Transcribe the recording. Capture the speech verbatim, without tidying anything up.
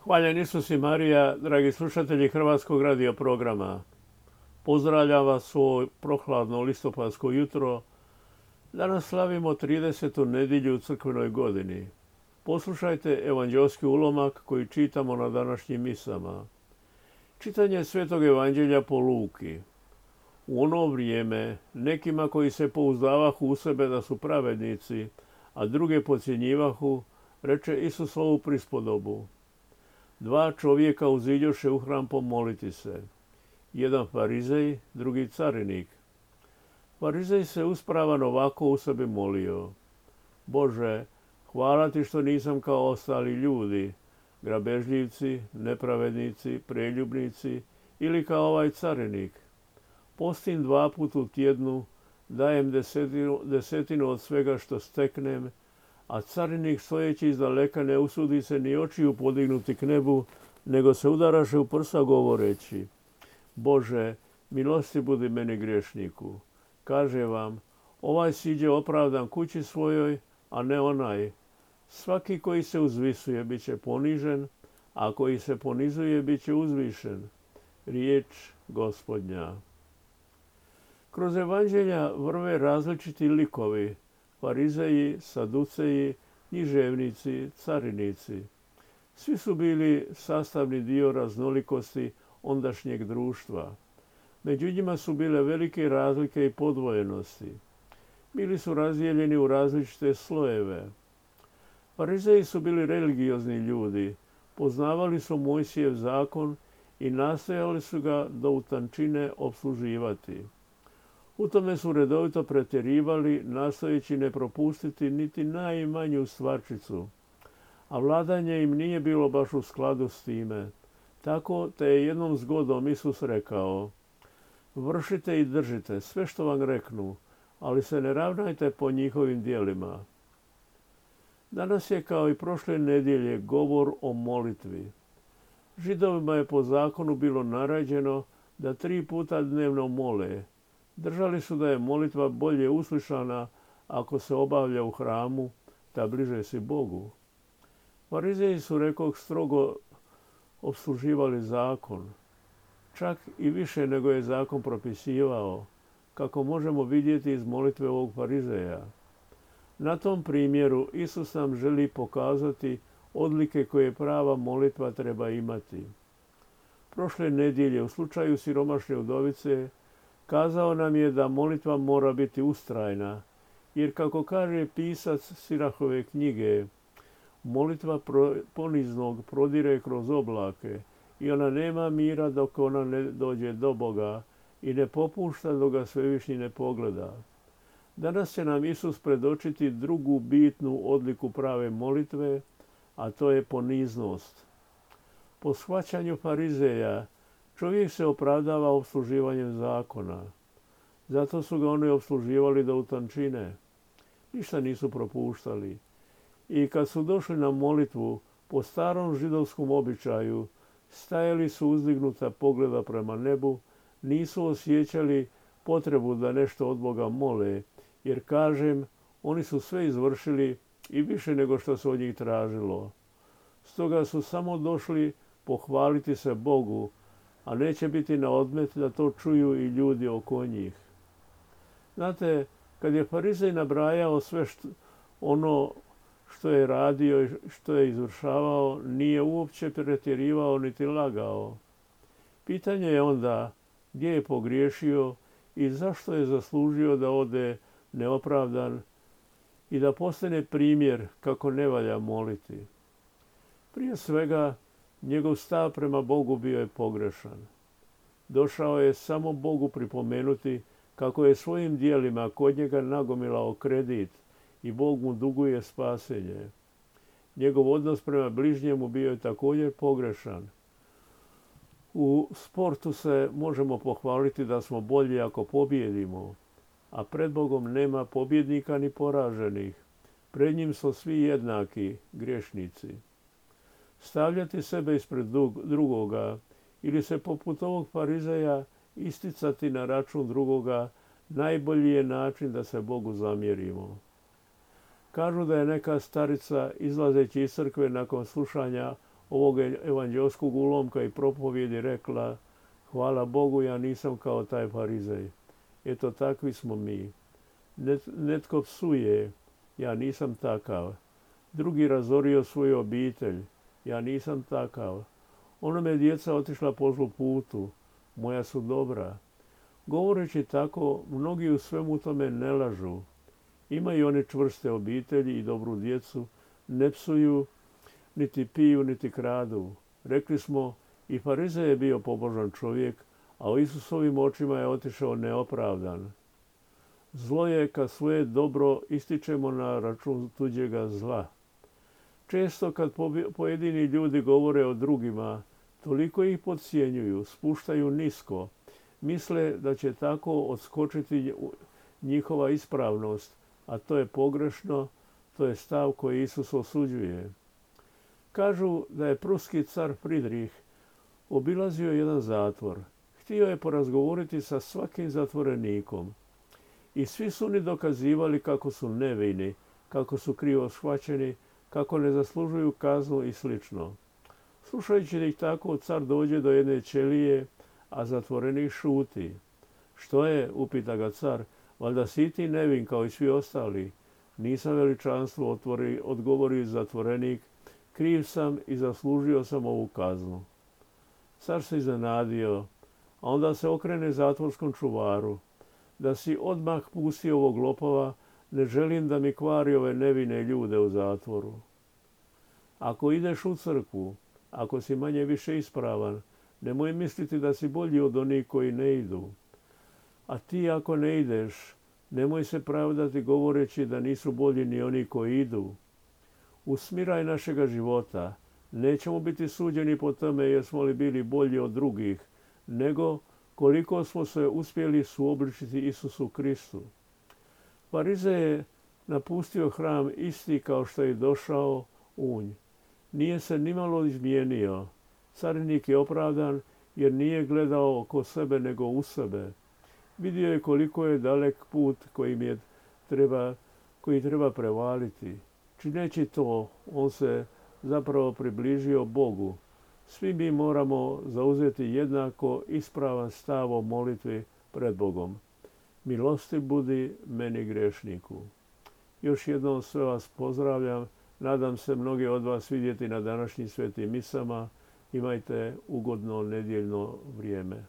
Hvaljen Isus i Marija, dragi slušatelji Hrvatskog radio programa. Pozdravljam vas u ovo prohladno listopadsko jutro. Danas slavimo tridesetu nedjelju u crkvenoj godini. Poslušajte evanđelski ulomak koji čitamo na današnjim misama. Čitanje Svetog evanđelja po Luki. U ono vrijeme nekima koji se pouzdavahu u sebe da su pravednici, a druge podcjenjivahu, reče Isus ovu prispodobu. Dva čovjeka uziđoše u hram pomoliti se. Jedan farizej, drugi carinik. Farizej se uspravan ovako u sebi molio. Bože, hvala ti što nisam kao ostali ljudi, grabežljivci, nepravednici, preljubnici ili kao ovaj carinik. Postim dva put u tjednu, dajem desetinu, desetinu od svega što steknem, a carinik stojeći izdaleka ne usudi se ni očiju podignuti k nebu, nego se udaraše u prsa govoreći. Bože, milosti budi meni griješniku. Kaže vam, ovaj siđe opravdan kući svojoj, a ne onaj. Svaki koji se uzvisuje bit će ponižen, a koji se ponizuje bit će uzvišen. Riječ Gospodnja. Kroz evanđelja vrve različiti likovi, farizeji, saduceji, književnici, carinici. Svi su bili sastavni dio raznolikosti ondašnjeg društva. Među njima su bile velike razlike i podvojenosti. Bili su razdijeljeni u različite slojeve. Farizeji su bili religiozni ljudi, poznavali su Mojsijev zakon i nastojali su ga do utančine opsluživati. U tome su redovito pretjerivali, nastojeći ne propustiti niti najmanju stvarčicu, a vladanje im nije bilo baš u skladu s time. Tako te je jednom zgodom Isus rekao, vršite i držite sve što vam reknu, ali se ne ravnajte po njihovim djelima. Danas je kao i prošle nedjelje govor o molitvi. Židovima je po zakonu bilo naređeno da tri puta dnevno mole. Držali su da je molitva bolje uslišana ako se obavlja u hramu, da bliže si Bogu. Farizeji su, rekoh, strogo opsluživali zakon, čak i više nego je zakon propisivao, kako možemo vidjeti iz molitve ovog farizeja. Na tom primjeru Isus nam želi pokazati odlike koje prava molitva treba imati. Prošle nedjelje u slučaju siromašne udovice kazao nam je da molitva mora biti ustrajna, jer kako kaže pisac Sirahove knjige, molitva poniznog prodire kroz oblake i ona nema mira dok ona ne dođe do Boga i ne popušta dok ga svevišnji ne pogleda. Danas će nam Isus predočiti drugu bitnu odliku prave molitve, a to je poniznost. Po shvaćanju farizeja čovjek se opravdava opsluživanjem zakona. Zato su ga oni opsluživali do utančine. Ništa nisu propuštali. I kad su došli na molitvu, po starom židovskom običaju, stajali su uzdignuta pogleda prema nebu, nisu osjećali potrebu da nešto od Boga mole, jer kažem, oni su sve izvršili i više nego što se od njih tražilo. Stoga su samo došli pohvaliti se Bogu, a neće biti na odmet da to čuju i ljudi oko njih. Znate, kad je farizej nabrajao sve što, ono što je radio i što je izvršavao, nije uopće pretjerivao niti lagao. Pitanje je onda gdje je pogriješio i zašto je zaslužio da ode neopravdan i da postane primjer kako ne valja moliti. Prije svega, njegov stav prema Bogu bio je pogrešan. Došao je samo Bogu pripomenuti kako je svojim djelima kod njega nagomilao kredit i Bog mu duguje spasenje. Njegov odnos prema bližnjemu bio je također pogrešan. U sportu se možemo pohvaliti da smo bolji ako pobjedimo, a pred Bogom nema pobjednika ni poraženih. Pred njim su svi jednaki, griješnici. Stavljati sebe ispred drugoga ili se poput ovog farizeja isticati na račun drugoga najbolji je način da se Bogu zamjerimo. Kažu da je neka starica izlazeći iz crkve nakon slušanja ovog evanđelskog ulomka i propovjedi rekla: hvala Bogu, ja nisam kao taj farizej. Eto, takvi smo mi. Net, netko psuje, ja nisam takav. Drugi razorio svoju obitelj, ja nisam takav. Onome djeca otišla po zlu putu, moja su dobra. Govoreći tako, mnogi u svemu tome ne lažu. Imaju one čvrste obitelji i dobru djecu, ne psuju, niti piju, niti kradu. Rekli smo, i farizej je bio pobožan čovjek, a u Isusovim očima je otišao neopravdan. Zlo je kad svoje dobro ističemo na račun tuđega zla. Često kad pojedini ljudi govore o drugima, toliko ih podcjenjuju, spuštaju nisko, misle da će tako odskočiti njihova ispravnost, a to je pogrešno, to je stav koji Isus osuđuje. Kažu da je pruski car Fridrih obilazio jedan zatvor. Htio je porazgovoriti sa svakim zatvorenikom. I svi su oni dokazivali kako su nevini, kako su krivo shvaćeni, kako ne zaslužuju kaznu i slično. Slušajući ih tako, car dođe do jedne ćelije, a zatvorenik šuti. Što je, upita ga car, valjda si ti nevin kao i svi ostali. Nisam, veličanstvo, otvori, odgovori zatvorenik, kriv sam i zaslužio sam ovu kaznu. Car se iznenadio, a onda se okrene zatvorskom čuvaru. Da si odmah pustio ovog lopova, ne želim da mi kvari ove nevine ljude u zatvoru. Ako ideš u crkvu, ako si manje više ispravan, nemoj misliti da si bolji od onih koji ne idu. A ti ako ne ideš, nemoj se pravdati govoreći da nisu bolji ni oni koji idu. U smiraj našega života nećemo biti suđeni po tome jesmo li bili bolji od drugih, nego koliko smo se uspjeli suobličiti Isusu Kristu. Farizej je napustio hram isti kao što je došao unj. Nije se nimalo izmijenio. Carinik je opravdan jer nije gledao oko sebe nego u sebe. Vidio je koliko je dalek put kojim je treba, koji treba prevaliti. Čineći to, on se zapravo približio Bogu. Svi mi moramo zauzeti jednako ispravan stav o molitvi pred Bogom. Milosti budi meni grešniku. Još jednom sve vas pozdravljam. Nadam se mnogi od vas vidjeti na današnjim svetim misama. Imajte ugodno nedjeljno vrijeme.